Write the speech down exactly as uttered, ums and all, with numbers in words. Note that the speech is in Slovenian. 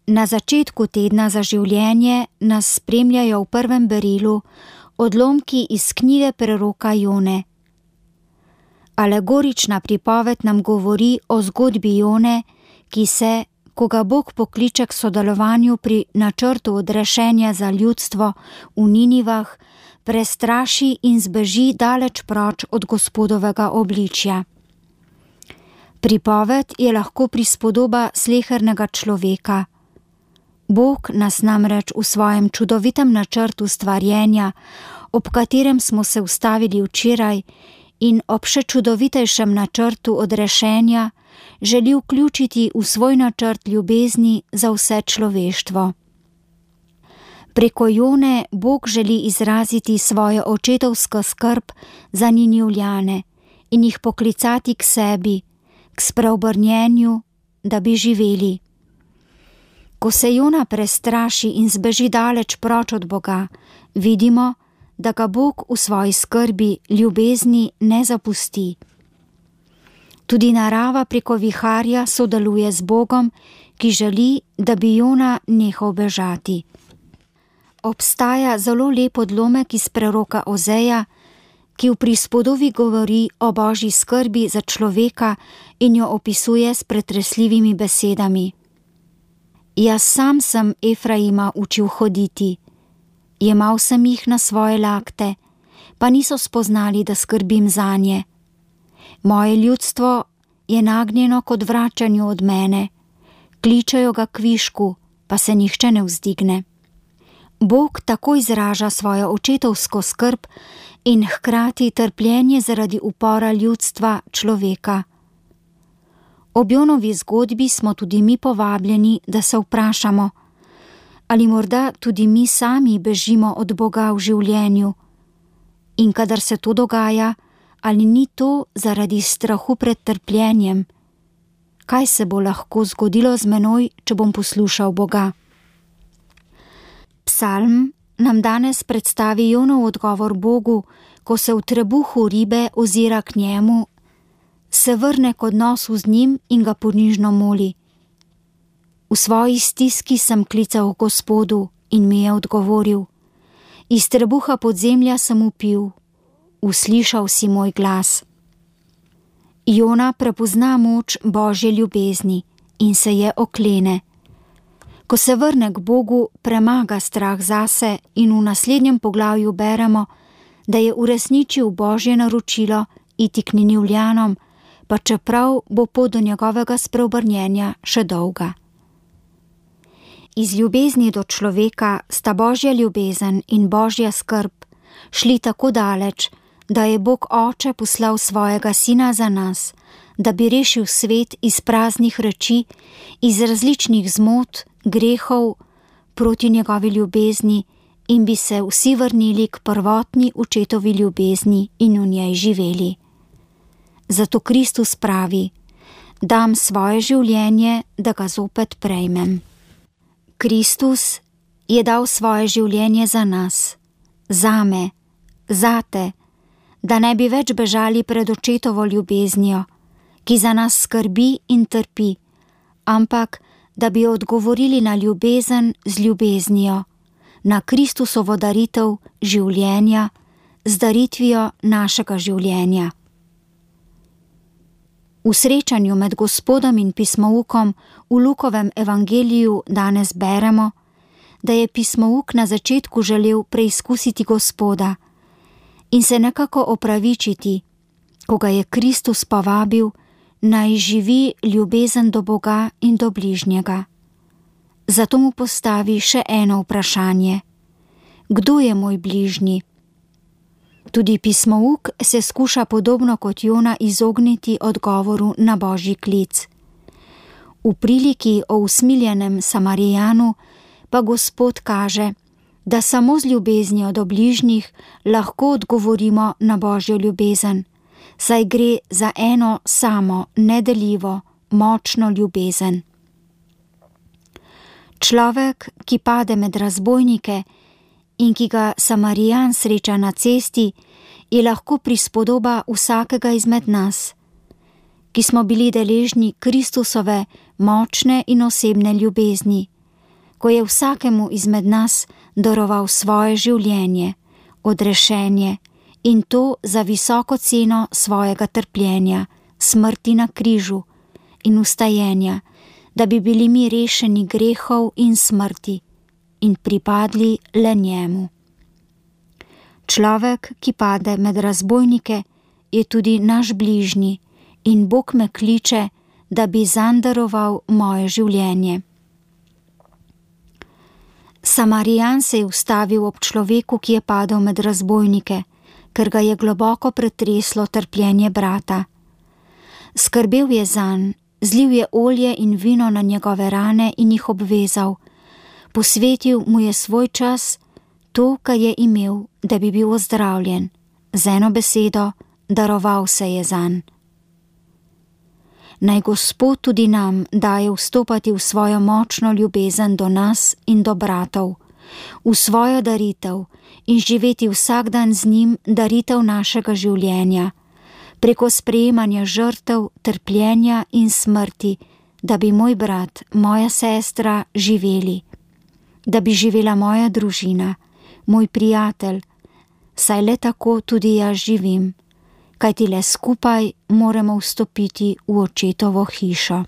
Na začetku tedna za življenje nas spremljajo v prvem berilu odlomki iz knjige preroka Jone. Alegorična pripoved nam govori o zgodbi Jone, ki se, ko ga Bog pokliče k sodelovanju pri načrtu odrešenja za ljudstvo v Ninivah, prestraši in zbeži daleč proč od Gospodovega obličja. Pripoved je lahko prispodoba slehernega človeka. Bog nas namreč v svojem čudovitem načrtu stvarjenja, ob katerem smo se ustavili včeraj, in ob še čudovitejšem načrtu odrešenja želi vključiti v svoj načrt ljubezni za vse človeštvo. Preko Jone Bog želi izraziti svojo očetovsko skrb za Ninivljane in jih poklicati k sebi, k spreobrnjenju, da bi živeli. Ko se Jona prestraši in zbeži daleč proč od Boga, vidimo, da ga Bog v svoji skrbi ljubezni ne zapusti. Tudi narava preko viharja sodeluje z Bogom, ki želi, da bi Jona nehal bežati. Obstaja zelo lep odlomek iz preroka Ozeja, ki v prispodobi govori o Božji skrbi za človeka in jo opisuje s pretresljivimi besedami. Jaz sam sem Efraima učil hoditi, jemal sem jih na svoje lakte, pa niso spoznali, da skrbim zanje. Moje ljudstvo je nagnjeno kot vračanju od mene, kličejo ga k višku, pa se nihče ne vzdigne. Bog tako izraža svojo očetovsko skrb in hkrati trpljenje zaradi upora ljudstva človeka. Ob Jonovi zgodbi smo tudi mi povabljeni, da se vprašamo, ali morda tudi mi sami bežimo od Boga v življenju. In kadar se to dogaja, ali ni to zaradi strahu pred trpljenjem? Kaj se bo lahko zgodilo z menoj, če bom poslušal Boga? Psalm nam danes predstavi Jonov odgovor Bogu, ko se v trebuhu ribe ozira k njemu, se vrne k odnosu z njim in ga ponižno moli. V svoji stiski sem klical Gospodu in mi je odgovoril. Iz trebuha podzemlja sem vpil, uslišal si moj glas. Jona prepozna moč Božje ljubezni in se je oklene. Ko se vrne k Bogu, premaga strah zase in v naslednjem poglavju beremo, da je uresničil Božje naročilo iti k Ninivljanom, pa čeprav bo pot do njegovega spreobrnjenja še dolga. Iz ljubezni do človeka sta Božja ljubezen in Božja skrb šli tako daleč, da je Bog Oče poslal svojega Sina za nas, da bi rešil svet iz praznih reči, iz različnih zmot, grehov proti njegovi ljubezni in bi se vsi vrnili k prvotni očetovi ljubezni in v njej živeli. Zato Kristus pravi, dam svoje življenje, da ga zopet prejmem. Kristus je dal svoje življenje za nas, zame, zate, da ne bi več bežali pred očetovo ljubeznijo, ki za nas skrbi in trpi, ampak da bi odgovorili na ljubezen z ljubeznijo, na Kristusovo daritev življenja z daritvijo našega življenja. V srečanju med Gospodom in pismoukom v Lukovem evangeliju danes beremo, da je pismouk na začetku želel preizkusiti Gospoda in se nekako opravičiti, ko ga je Kristus povabil, naj živi ljubezen do Boga in do bližnjega. Zato mu postavi še eno vprašanje. Kdo je moj bližnji? Tudi pismouk se skuša podobno kot Jona izogniti odgovoru na Božji klic. V priliki o usmiljenem Samarijanu pa Gospod kaže, da samo z ljubeznijo do bližnjih lahko odgovorimo na Božjo ljubezen, saj gre za eno samo, nedeljivo, močno ljubezen. Človek, ki pade med razbojnike in ki ga Samarijan sreča na cesti, je lahko prispodoba vsakega izmed nas, ki smo bili deležni Kristusove močne in osebne ljubezni, ko je vsakemu izmed nas daroval svoje življenje, odrešenje in to za visoko ceno svojega trpljenja, smrti na križu in vstajenja, da bi bili mi rešeni grehov in smrti in pripadli le njemu. Človek, ki pade med razbojnike, je tudi naš bližnji in Bog me kliče, da bi zanj daroval moje življenje. Samarijan se je ustavil ob človeku, ki je padel med razbojnike, ker ga je globoko pretreslo trpljenje brata. Skrbel je zanj, zlil je olje in vino na njegove rane in jih obvezal. Posvetil mu je svoj čas, to, kar je imel, da bi bil ozdravljen. Z eno besedo, daroval se je zanj. Naj Gospod tudi nam daje vstopati v svojo močno ljubezen do nas in do bratov, v svojo daritev in živeti vsak dan z njim daritev našega življenja, preko sprejemanja žrtev, trpljenja in smrti, da bi moj brat, moja sestra živeli, da bi živela moja družina, moj prijatelj, saj le tako tudi jaz živim, kajti le skupaj moramo vstopiti v očetovo hišo.